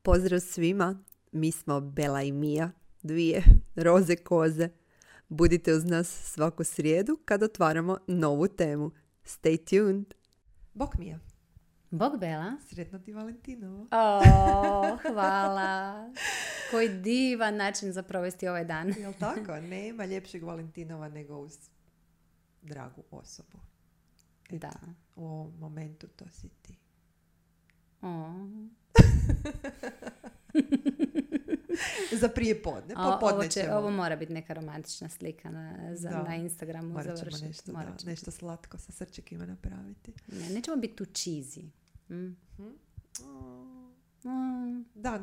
pozdrav svima. Mi smo Bela i Mija, dvije roze koze. Budite uz nas svaku srijedu kad otvaramo novu temu. Stay tuned. Bok Mija. Bog Bela. Sretno ti Valentinovo. Hvala. Koji divan način za provesti ovaj dan. Jel tako? Nema ljepšeg Valentinova nego uz dragu osobu. Eto, Da. u ovom momentu to si ti. Za prije podne. Popodne ćemo. Ovo mora biti neka romantična slika na Instagramu. Morat ćemo završiti. nešto slatko sa srčekima napraviti. Ne, nećemo biti tu cheesy. Da,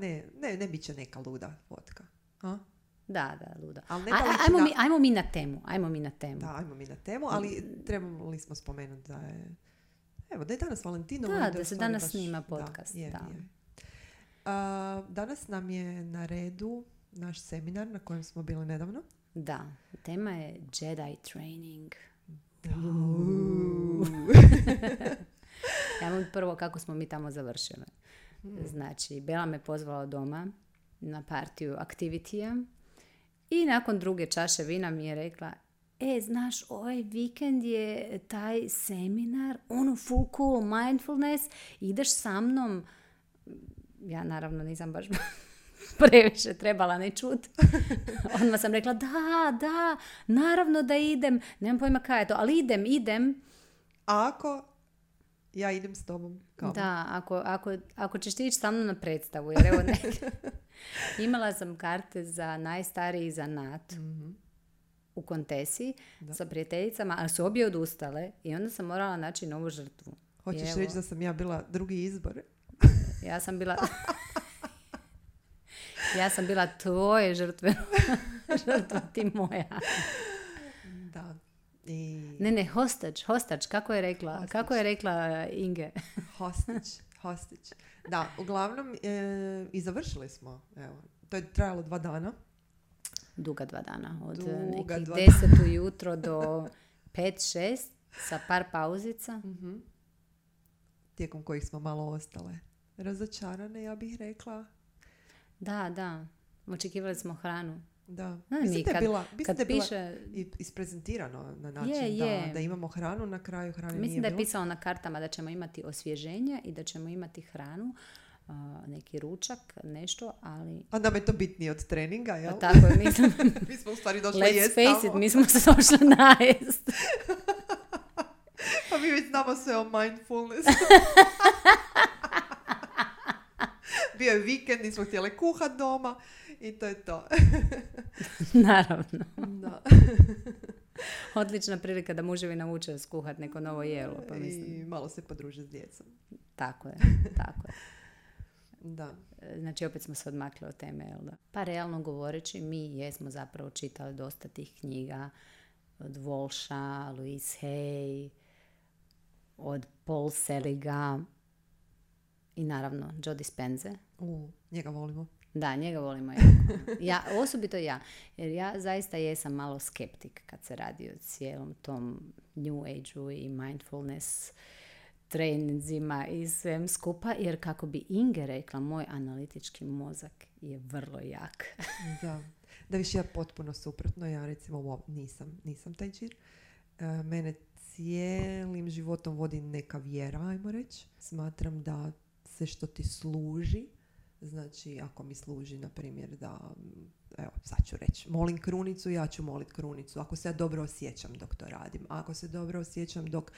ne bit će neka luda fotka. A? Da, luda. Ali ne Ajmo mi na temu. Da, ajmo mi na temu, ali trebali smo spomenuti da je... Evo, da je danas Valentinovo. Da se danas snima podcast. Je. Danas nam je na redu naš seminar na kojem smo bili nedavno. Da, tema je Jedi training. Ja vam prvo kako smo mi tamo završili. Znači, Bela me pozvala doma na partiju aktivitija i nakon druge čaše vina mi je rekla: znaš, ovaj vikend je taj seminar, full cool, mindfulness, ideš sa mnom. Ja naravno nisam baš previše trebala ne čut. Odmah sam rekla da, naravno da idem. Nemam pojma kaj je to, ali idem. A ako ja idem s tobom? Kao? Da, ako ćeš ti ići sa mnom na predstavu. Jer evo imala sam karte za najstariji zanat u Kontesi sa prijateljicama, ali su obje odustale i onda sam morala naći novu žrtvu. Hoćeš reći da sam ja bila drugi izbor? Ja sam bila tvoje žrtve. Žrtva ti moja. Da. Ne, hostač, kako je rekla Inge? Hostić. Da, uglavnom i završili smo. Evo, to je trajalo 2 dana. Duga 2 dana. Od nekih 10 ujutro do 5-6 sa par pauzica. Tijekom kojih smo malo ostale razočarane, ja bih rekla. Da. Očekivali smo hranu. Da. Mislim da je bila piše... isprezentirano na način da imamo hranu, na kraju hrane nije bilo. Mislim da je pisalo na kartama da ćemo imati osvježenje i da ćemo imati hranu, neki ručak, nešto, ali... A nam je to bitnije od treninga, jel? Pa tako je, mislim... Mi smo u stvari došli jest tamo. Let's face it, mi smo se došli najest. Pa mi već znamo sve o mindfulness. Bio je vikend, nismo htjeli kuhat doma i to je to. Naravno. Da. Odlična prilika da muževi nauče skuhat neko novo jelo. Pa mislim. I malo se podruže s djecom. Tako je. Da. Znači, opet smo se odmakli od teme, jel da? Pa realno govoreći, mi jesmo zapravo čitali dosta tih knjiga od Walsha, Louise Hay, od Paul Seliga i naravno Joe Dispenze. Njega volimo. Da, njega volimo jako. Osobito ja. Jer ja zaista jesam malo skeptik kad se radi o cijelom tom New Age-u i mindfulness treninzima i svem skupa. Jer kako bi Inge rekla, moj analitički mozak je vrlo jak. Da više ja potpuno suprotno. Ja recimo nisam taj čir. Mene cijelim životom vodi neka vjera, ajmo reći. Smatram da sve što ti služi, znači ako mi služi na primjer da, evo sad ću reći, molim krunicu, ja ću molit krunicu. Ako se ja dobro osjećam dok to radim, ako se dobro osjećam dok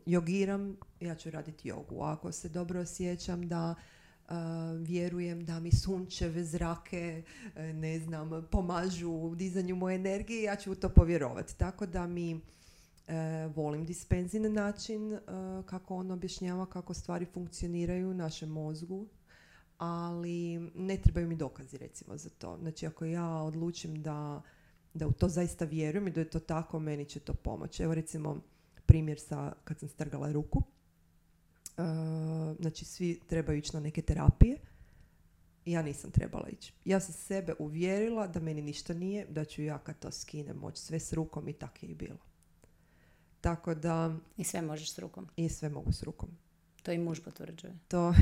jogiram, ja ću raditi jogu. Ako se dobro osjećam da vjerujem da mi sunčeve zrake, pomažu u dizanju moje energije, ja ću u to povjerovati. Tako da mi volim Dispenzin način kako on objašnjava kako stvari funkcioniraju u našem mozgu, ali ne trebaju mi dokazi recimo za to. Znači ako ja odlučim da u to zaista vjerujem i da je to tako, meni će to pomoći. Evo recimo primjer kad sam strgala ruku. Znači svi trebaju ići na neke terapije. Ja nisam trebala ići. Ja sam sebe uvjerila da meni ništa nije, da ću ja kad to skinem moći sve s rukom i tako je i bilo. Tako da... I sve možeš s rukom. I sve mogu s rukom. To i muž potvrđuje. To...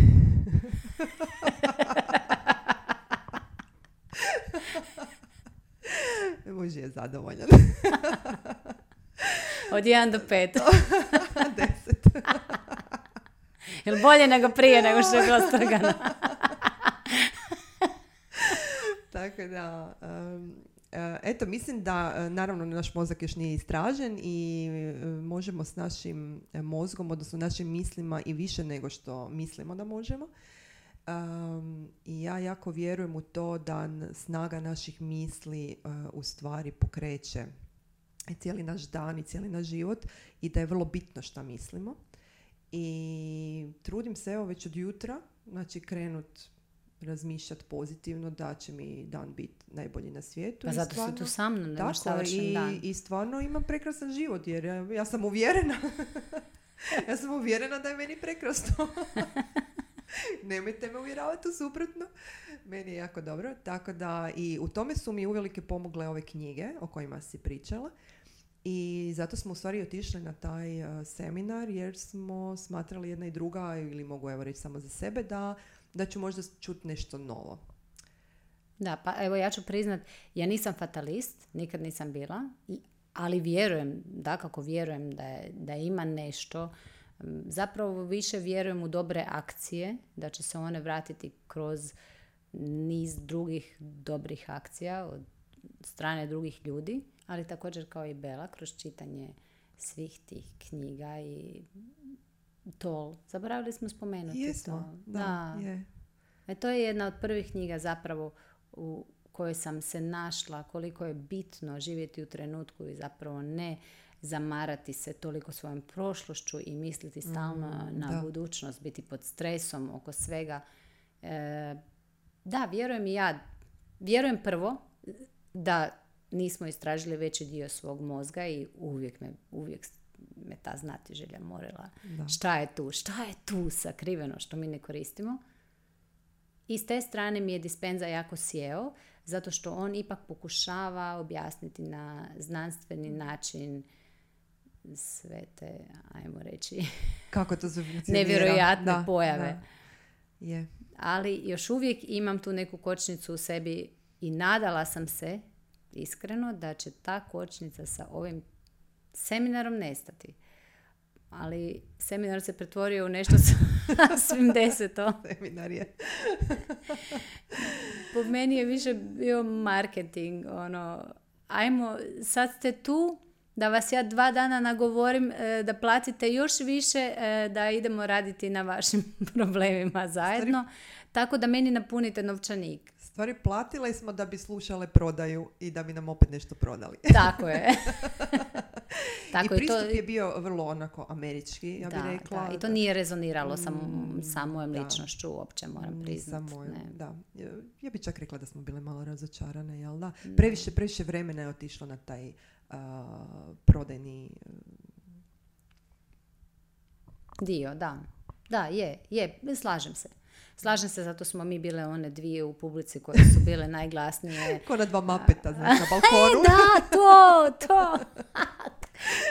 Boži je zadovoljan. Od 1 do 5. 10. Jel bolje nego prije, nego što je bilo strgano? Tako da, eto, mislim da naravno naš mozak još nije istražen i možemo s našim mozgom, odnosno našim mislima i više nego što mislimo da možemo. I ja jako vjerujem u to da snaga naših misli u stvari pokreće cijeli naš dan i cijeli naš život i da je vrlo bitno šta mislimo. I trudim se evo već od jutra, znači krenut razmišljati pozitivno da će mi dan biti najbolji na svijetu. Pa zato si tu sa mnom, nemaš savršen dan. I stvarno imam prekrasan život jer ja sam uvjerena. Ja sam uvjerena da je meni prekrasno. Nemojte me uvjeravati u suprotno. Meni je jako dobro. Tako da i u tome su mi uvelike pomogle ove knjige o kojima si pričala. I zato smo u stvari otišli na taj seminar jer smo smatrali jedna i druga, ili mogu evo reći samo za sebe, da ću možda čuti nešto novo. Da, pa evo ja ću priznat, ja nisam fatalist, nikad nisam bila, ali vjerujem, dakako vjerujem da ima nešto. Zapravo više vjerujem u dobre akcije, da će se one vratiti kroz niz drugih dobrih akcija od strane drugih ljudi, ali također kao i Bela, kroz čitanje svih tih knjiga i to. Zaboravili smo spomenuti Jesmo, to. da. Je. To je jedna od prvih knjiga zapravo u kojoj sam se našla koliko je bitno živjeti u trenutku i zapravo ne zamarati se toliko svojom prošlošću i misliti stalno na budućnost, biti pod stresom oko svega. Da, vjerujem i ja. Vjerujem prvo da nismo istražili veći dio svog mozga i uvijek me ta znatiželja morila. Da. Šta je tu sakriveno što mi ne koristimo? I s te strane mi je Dispenza jako sjeo, zato što on ipak pokušava objasniti na znanstveni način sve te, ajmo reći, kako to funkcionira. Nevjerojatne pojave. Da. Yeah. Ali još uvijek imam tu neku kočnicu u sebi i nadala sam se, iskreno, da će ta kočnica sa ovim seminarom nestati. Ali seminar se pretvorio u nešto svim 10. Seminar je. Po meni je više bio marketing. Ajmo, sad ste tu, da vas ja 2 dana nagovorim da platite još više, da idemo raditi na vašim problemima zajedno. Tako da meni napunite novčanik. Stvari, platile smo da bi slušale prodaju i da bi nam opet nešto prodali. Tako je. Tako i pristup je bio vrlo onako američki, ja bih rekla. Da. I to nije rezoniralo sa mojom ličnošću uopće, moram priznati. Da. Ja bih čak rekla da smo bile malo razočarane, jel da? Previše vremena je otišlo na taj prodajni dio, da. Da, je, slažem se, zato smo mi bile one 2 u publici koje su bile najglasnije. Ko na 2 mapeta, znači, na balkonu. Da, to.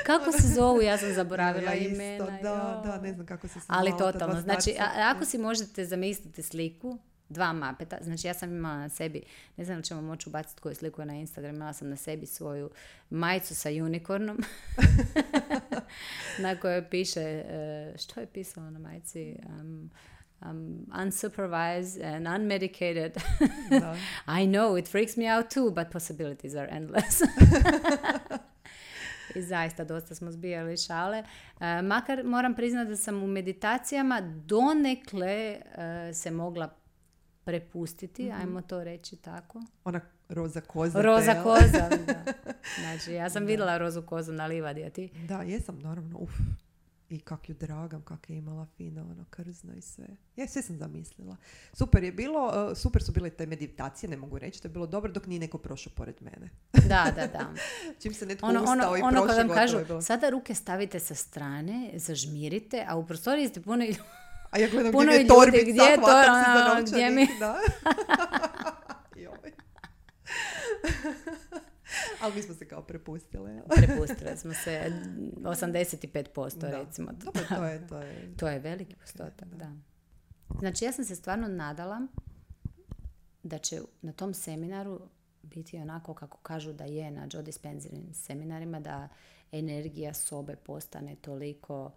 Kako se zovu? Ja sam zaboravila imena. Da, ne znam kako se zove. Ali totalno. Znači, ako si možete zamisliti sliku, 2 mapeta, znači ja sam imala na sebi, ne znam li ćemo moći ubaciti koju sliku na Instagram, imala sam na sebi svoju majicu sa unicornom, na kojoj piše, što je pisalo na majici? Unsupervised and unmedicated. I know, it freaks me out too, but possibilities are endless. I zaista dosta smo zbijali šale. Makar moram priznati da sam u meditacijama donekle se mogla prepustiti, ajmo to reći tako. Ona roza koza. Roza koza, da. Znači, ja sam vidjela rozu kozu na livadi, a ti? Da, jesam, naravno. I kak ju dragam, kak je imala fino, krzno i sve. Ja sve sam zamislila. Super je bilo, super su bile te meditacije, ne mogu reći, to je bilo dobro dok nije neko prošao pored mene. Da. Čim se netko ustao i prošao, kad vam kažu, bilo. sada ruke stavite sa strane, zažmirite, a u prostoriji ste puno a ja gledam gdje je torbica, hvatam se za novčanik. Da. Ali mi smo se kao prepustile. Prepustile smo se 85%, recimo. Dobro, to je veliki postotak, da. Znači, ja sam se stvarno nadala da će na tom seminaru biti onako kako kažu da je na Joe Dispenzaovim seminarima, da energija sobe postane toliko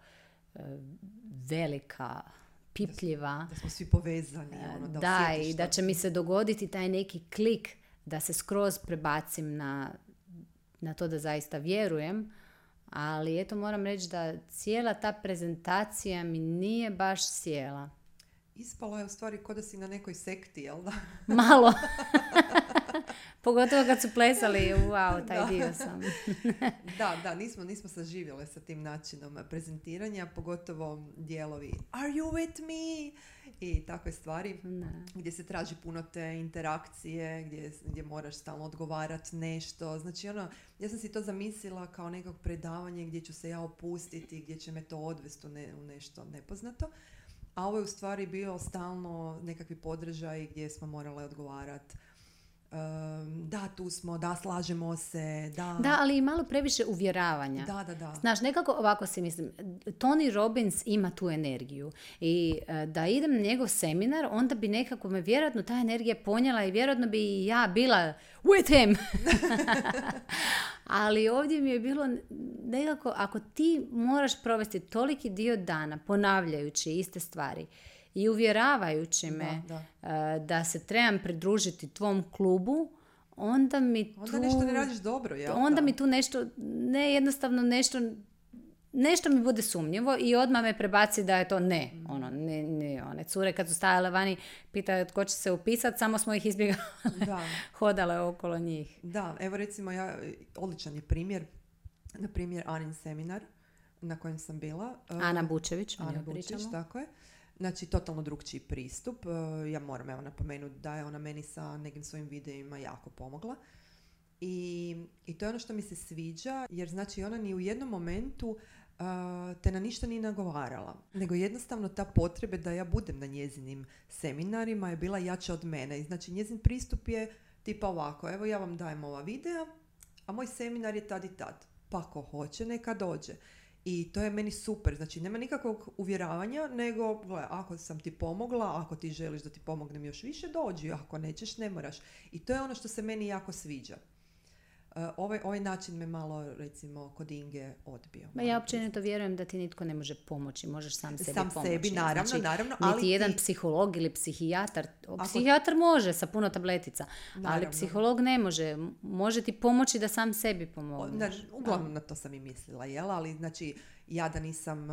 velika, pipljiva. Da smo svi povezani. Da, i da će mi se dogoditi taj neki klik da se skroz prebacim na to da zaista vjerujem. Ali eto, moram reći da cijela ta prezentacija mi nije baš sjela. Ispalo je u stvari ko da si na nekoj sekti, jel da? Malo. Pogotovo kad su plesali, wow, taj dio sam. Da, nismo saživjele sa tim načinom prezentiranja, pogotovo dijelovi Are you with me? I takve stvari gdje se traži puno te interakcije, gdje moraš stalno odgovarati nešto. Znači, ja sam si to zamislila kao nekog predavanje gdje ću se ja opustiti, gdje će me to odvesti u nešto nepoznato. A ovo je u stvari bio stalno nekakvi podržaj gdje smo morale odgovarati. Da, tu smo, da, slažemo se, da. Da, ali i malo previše uvjeravanja. Da. Znaš, nekako ovako si mislim, Tony Robbins ima tu energiju i da idem na njegov seminar, onda bi nekako me vjerojatno ta energija ponijela i vjerojatno bi i ja bila with him. Ali ovdje mi je bilo nekako, ako ti moraš provesti toliki dio dana ponavljajući iste stvari i uvjeravajući me da se trebam pridružiti tvom klubu, onda mi tu... Onda nešto ne radiš dobro, jel? Onda mi tu nešto, ne jednostavno nešto mi bude sumnjivo i odmah me prebaci da je to ne. One cure kad su stajale vani, pitaju tko će se upisati, samo smo ih izbjegavali, hodale okolo njih. Da, evo recimo odličan je primjer, na primjer Anin seminar na kojem sam bila. Ana Bučević, tako je. Znači, totalno drugčiji pristup. Ja moram napomenuti da je ona meni sa nekim svojim videima jako pomogla. I to je ono što mi se sviđa, jer znači ona ni u jednom momentu te na ništa nije nagovarala. Nego jednostavno ta potreba da ja budem na njezinim seminarima je bila jača od mene. I znači njezin pristup je tipa ovako, evo ja vam dajem ova videa, a moj seminar je tad i tad. Pa ko hoće, neka dođe. I to je meni super, znači nema nikakvog uvjeravanja, nego gledaj, ako sam ti pomogla, ako ti želiš da ti pomognem još više, dođi, ako nećeš, ne moraš. I to je ono što se meni jako sviđa. Ovaj način me malo, recimo, kod Inge odbio. Ja općenito vjerujem da ti nitko ne može pomoći, možeš sam sebi pomoći. Sam sebi, naravno. Ali niti jedan psiholog ili psihijatar, psihijatar može sa puno tabletica, ali psiholog ne može. Može ti pomoći da sam sebi pomogneš. Uglavnom na to sam i mislila, jel? Ali znači, ja da nisam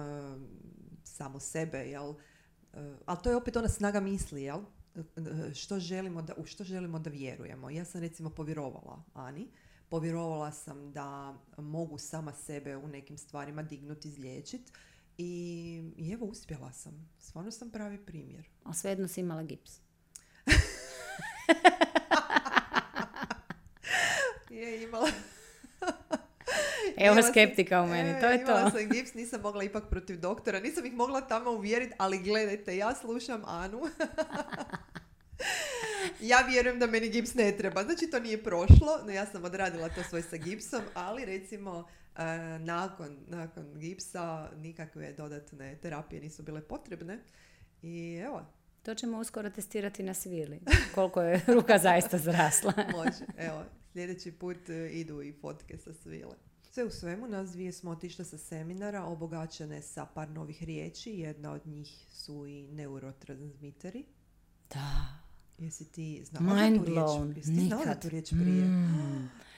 samo sebe, jel? Ali to je opet ona snaga misli, jel? U što želimo da vjerujemo. Ja sam recimo povjerovala Ani. Povjerovala sam da mogu sama sebe u nekim stvarima dignuti, izliječiti i evo, uspjela sam. Stvarno sam pravi primjer. A svejedno si imala gips. Je imala. Evo skeptika u meni, to je to. Imala sam gips, nisam mogla ipak protiv doktora, nisam ih mogla tamo uvjeriti, ali gledajte, ja slušam Anu. Ja vjerujem da meni gips ne treba. Znači, to nije prošlo. No, ja sam odradila to svoj sa gipsom, ali recimo nakon gipsa nikakve dodatne terapije nisu bile potrebne. I evo. To ćemo uskoro testirati na svili. Koliko je ruka zaista zrasla. Može. Evo, sljedeći put idu i fotke sa svile. Sve u svemu, nas dvije smo otišle sa seminara, obogaćene sa par novih riječi. Jedna od njih su i neurotransmiteri. Da. Jesi ti znala tu riječ prije?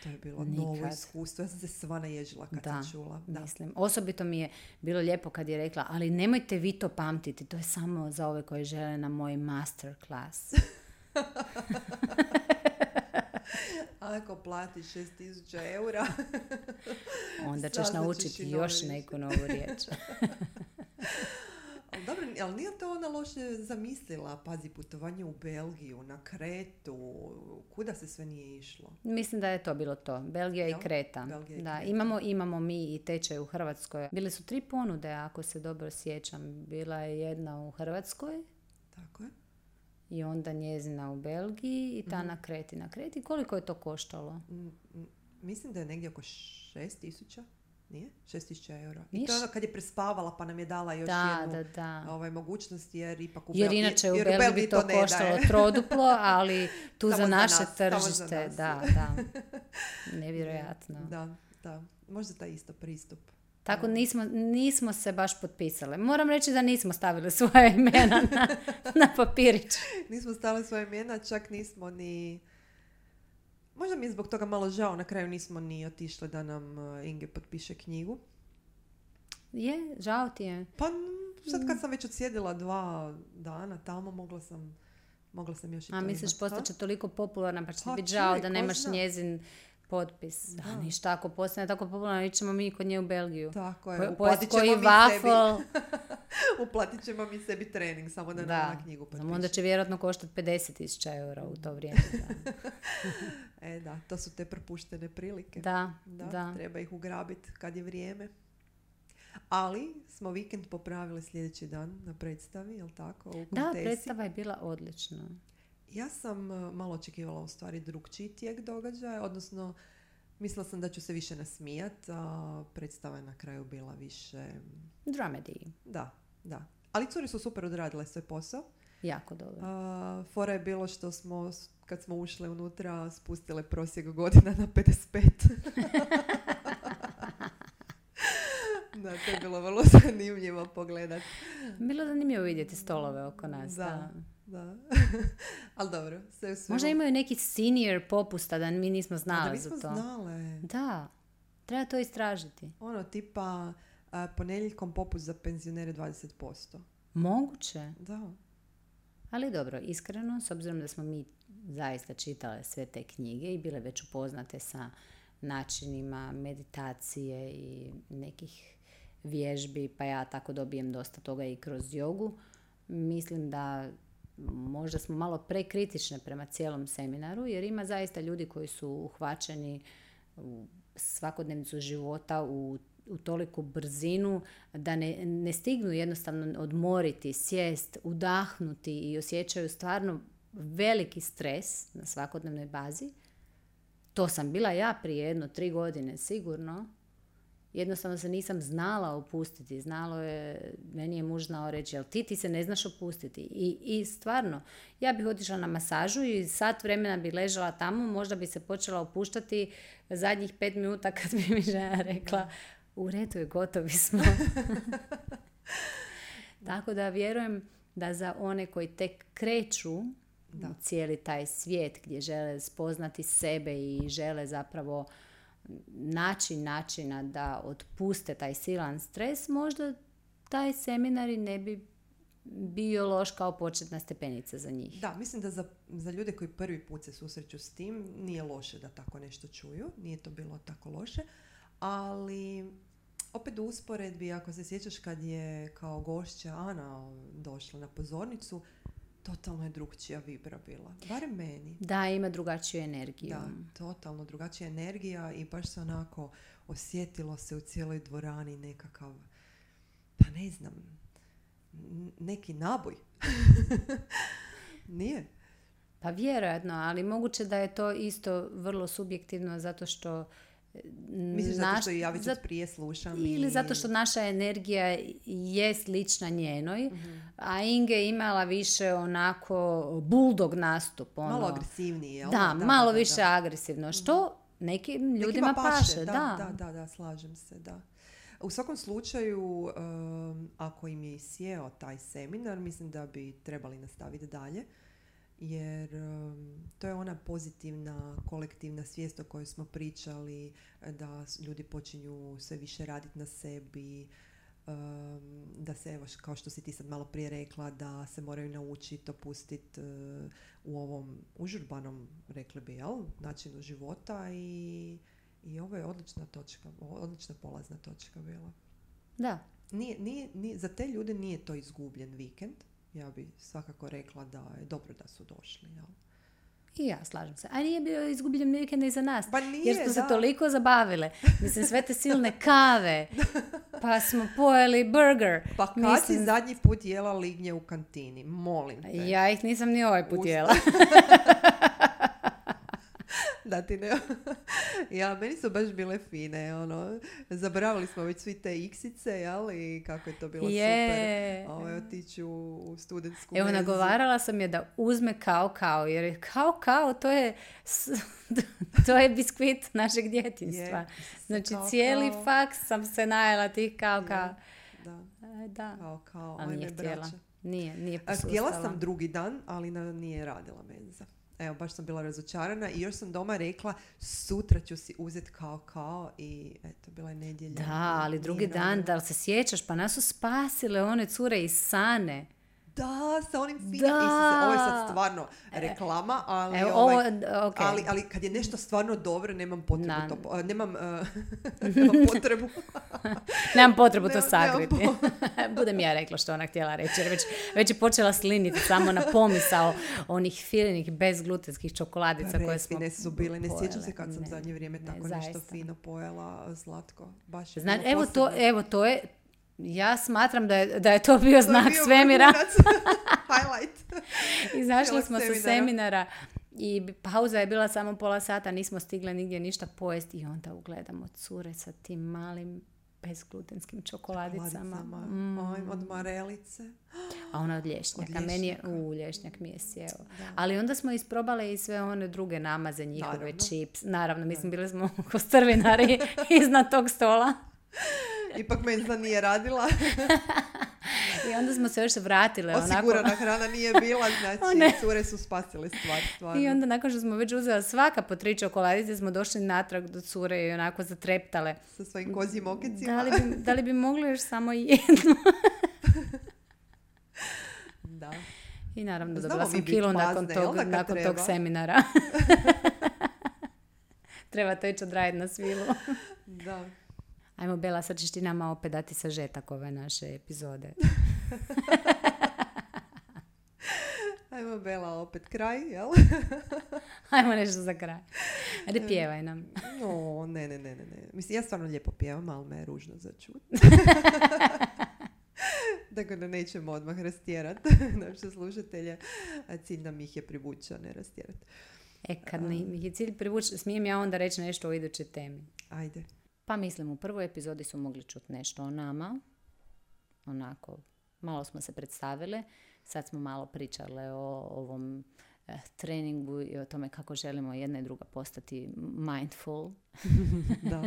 To je bilo novo iskustvo. Ja sam se sva naježila kad sam čula. Da, mislim. Osobito mi je bilo lijepo kad je rekla, ali nemojte vi to pamtiti. To je samo za ove koji žele na moj masterclass. Ako platiš 6.000 eura, onda ćeš naučiti još neku novu riječ. Dobro, ali nije to ona loše zamislila? Pazi, putovanje u Belgiju, na Kretu, kuda se sve nije išlo? Mislim da je to bilo to. Belgija i Kreta. Da, imamo mi i tečaj u Hrvatskoj. Bile su 3 ponude, ako se dobro sjećam. Bila je jedna u Hrvatskoj. Tako je. I onda njezina u Belgiji i ta na Kreti. Na Kreti koliko je to koštalo? Mislim da je negdje oko 6.000. Nije? 6.000 eura. I to je ono kad je prespavala pa nam je dala još jednu mogućnost jer ipak jer inače u Belgiji bi to koštalo troduplo, ali tu Samo za naše nas, samo za tržište. nas. Da. Nevjerojatno. Da. Možda taj isto pristup. Tako nismo se baš potpisale. Moram reći da nismo stavili svoje imena na papirić. Nismo stavili svoje imena, čak nismo ni... Možda mi je zbog toga malo žao, na kraju nismo ni otišli da nam Inge potpiše knjigu. Je, žao ti je. Pa sad kad sam već odsjedila 2 dana tamo, mogla sam još i to A misliš imat, postaće toliko popularna pa će ti Pa biti žao čuj, da ko nemaš zna. njezin potpis. Da, ništa, ako postane tako popularna, ićemo mi kod nje u Belgiju. Tako je, Pojesti koji waffle. Uplatit ćemo mi sebi trening, samo da nam na knjigu potpiše. Onda će vjerojatno koštati 50.000 eura u to vrijeme. Da, to su te propuštene prilike. Da. Treba ih ugrabiti kad je vrijeme. Ali smo vikend popravili sljedeći dan na predstavi, jel tako? U Da, Kontesi. predstava je bila odlična. Ja sam malo očekivala u stvari drugčiji tijek događaja, odnosno mislila sam da ću se više nasmijat, a predstava je na kraju bila više... Dramedy. Da. Ali cure su super odradile svoj posao. Jako dobro. Fora je bilo što smo, kad smo ušle unutra, spustile prosjek godina na 55. Da, to je bilo vrlo zanimljivo pogledat. Bilo zanimljivo vidjeti stolove oko nas. Da. Ali dobro, sve u svemu. Možda imaju neki senior popusta da mi nismo znali za to. Da, nismo znale. Da, treba to istražiti. Tipa ponedjeljkom popust za penzionere 20%. Moguće. Da. Ali dobro, iskreno, s obzirom da smo mi zaista čitale sve te knjige i bile već upoznate sa načinima meditacije i nekih vježbi, pa ja tako dobijem dosta toga i kroz jogu, mislim da možda smo malo prekritične prema cijelom seminaru, jer ima zaista ljudi koji su uhvaćeni u svakodnevnicu života u toliku brzinu da ne stignu jednostavno odmoriti, sjest, udahnuti i osjećaju stvarno veliki stres na svakodnevnoj bazi. To sam bila ja prije 3 godine sigurno. Jednostavno se nisam znala opustiti. Meni je muž znao reći, jel ti se ne znaš opustiti? I stvarno, ja bih otišla na masažu i sat vremena bi ležala tamo, možda bi se počela opuštati zadnjih 5 minuta kad bi mi žena rekla, u redu je, gotovi smo. Tako da vjerujem da za one koji tek kreću cijeli taj svijet gdje žele spoznati sebe i žele zapravo naći načina da otpuste taj silan stres, možda taj seminar i ne bi bio loš kao početna stepenica za njih. Da, mislim da za ljude koji prvi put se susreću s tim nije loše da tako nešto čuju, nije to bilo tako loše, ali opet u usporedbi, ako se sjećaš kad je kao gošća Ana došla na pozornicu, totalno je drugčija vibra bila. Barem meni. Da, ima drugačiju energiju. Da, totalno drugačija energija i baš se onako osjetilo se u cijeloj dvorani nekakav, pa ne znam, neki naboj. Nije? Pa vjerojatno, ali moguće da je to isto vrlo subjektivno zato što misliš zato što ja već prije slušam ili zato što naša energija je slična njenoj, a Inge je imala više onako bulldog nastup. Malo agresivniji, jel? Da, malo više agresivno, što nekim ljudima paše. Da, slažem se, da. U svakom slučaju, ako im je sjeo taj seminar, mislim da bi trebali nastaviti dalje. Jer to je ona pozitivna kolektivna svijest o kojoj smo pričali, da ljudi počinju sve više raditi na sebi, da se, evo, kao što si ti sad malo prije rekla, da se moraju naučiti opustiti u ovom užurbanom, rekli bi, načinu života i ovo je odlična polazna točka bila. Da. Nije, za te ljude nije to izgubljen vikend. Ja bi svakako rekla da je dobro da su došli. Jel? I ja slažem se. A nije bio izgubljen vikend i za nas. Pa nije, jer smo se toliko zabavile. Mislim, sve te silne kave. Pa smo pojeli burger. Pa kad si zadnji put jela lignje u kantini? Molim te. Ja ih nisam ni ovaj put jela. Da ti ne... Ja, meni su baš bile fine, ono, zaboravili smo već svi te iksice, jel, i kako je to bilo super, otići u studentsku Evo, menzu. nagovarala sam je da uzme kao, jer je kao, to je biskvit našeg djetinjstva. Znači, cijeli faks sam se najela tih kao. Da. Ali nije htjela. Nije posustala. Htjela sam drugi dan, ali nije radila menza. Evo, baš sam bila razočarana i još sam doma rekla sutra ću si uzeti kao i eto, bila je nedjelja. Da, ali drugi dan, da li se sjećaš, pa nas su spasile one cure iz Sane. Da, sa onim finim. Ovo je sad stvarno reklama, ali, okay. ali kad je nešto stvarno dobro, nemam potrebu nemam potrebu. Nemam potrebu to sakriti. Budem ja rekla što ona htjela reći, jer već je počela sliniti samo na pomisao onih finih bezglutenskih čokoladica koje smo pojele. Su bile. Ne sjećam se kad sam zadnje vrijeme tako nešto fino pojela, slatko. Baš je to je. Ja smatram da je to bio znak svemira. Highlight. Izašli smo sa seminara i pauza je bila samo pola sata, nismo stigle nigdje ništa pojesti i onda ugledamo cure sa tim malim bezglutenskim čokoladicama. Od marelice. A ona od lješnjaka. Meni je, lješnjak mi je sjeo. Ali onda smo isprobale i sve one druge namaze, njihove čips. Naravno, mislim, bili smo ko strvinari iznad tog stola. Ipak menza nije radila. I onda smo se još vratile. Osigurana hrana nije bila, znači cure su spasile stvarno. I onda nakon što smo već uzela svaka po 3 čokoladice, smo došli natrag do cure i onako zatreptale. Sa svojim kozjim okicima. Da li bi mogli još samo jednu? Da. I naravno dobila sam kilu nakon tog seminara. Treba to ići odraditi na svilu. Da. Ajmo, Bela, sad ćeš ti nama opet dati sažetak ove naše epizode. Ajmo, Bela, opet kraj, jel? Ajmo nešto za kraj. Ajde, pjevaj nam. Ne. Mislim, ja stvarno lijepo pjevam, ali me je ružno za čut. Tako da nećemo odmah rastjerati naše slušatelje. Cilj nam ih je privući, a ne rastjerati. Kad ih je cilj privući, smijem ja onda reći nešto o idućoj temi? Ajde. Pa mislim, u prvoj epizodi su mogli čuti nešto o nama. Onako, malo smo se predstavile. Sad smo malo pričale o ovom treningu i o tome kako želimo jedna i druga postati mindful. Da.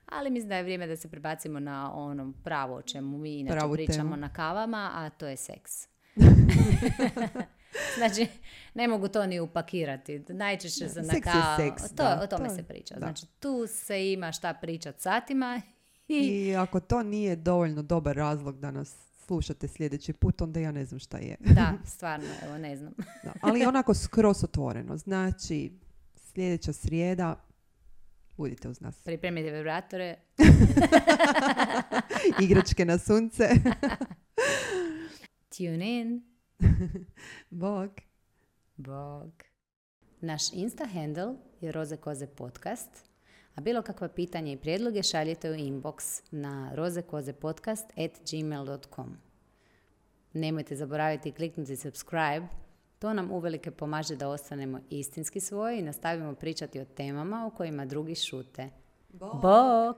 Ali mislim da je vrijeme da se prebacimo na ono pravo o čemu mi inače pričamo na kavama, a to je seks. Znači, ne mogu to ni upakirati. Najčešće se na o tome se priča. Da. Znači, tu se ima šta pričat satima. I ako to nije dovoljno dobar razlog da nas slušate sljedeći put, onda ja ne znam šta je. Da, stvarno, evo, ne znam. Da, ali onako skroz otvoreno. Znači, sljedeća srijeda budite uz nas. Pripremite vibratore. Igračke na sunce. Tune in. Bog. Naš Insta handle je Roze Koze podcast, a bilo kakva pitanja i prijedloge šaljite u inbox na rozekozepodcast@gmail.com. Nemojte zaboraviti kliknuti subscribe, to nam uvelike pomaže da ostanemo istinski svoji i nastavimo pričati o temama o kojima drugi šute. Bog!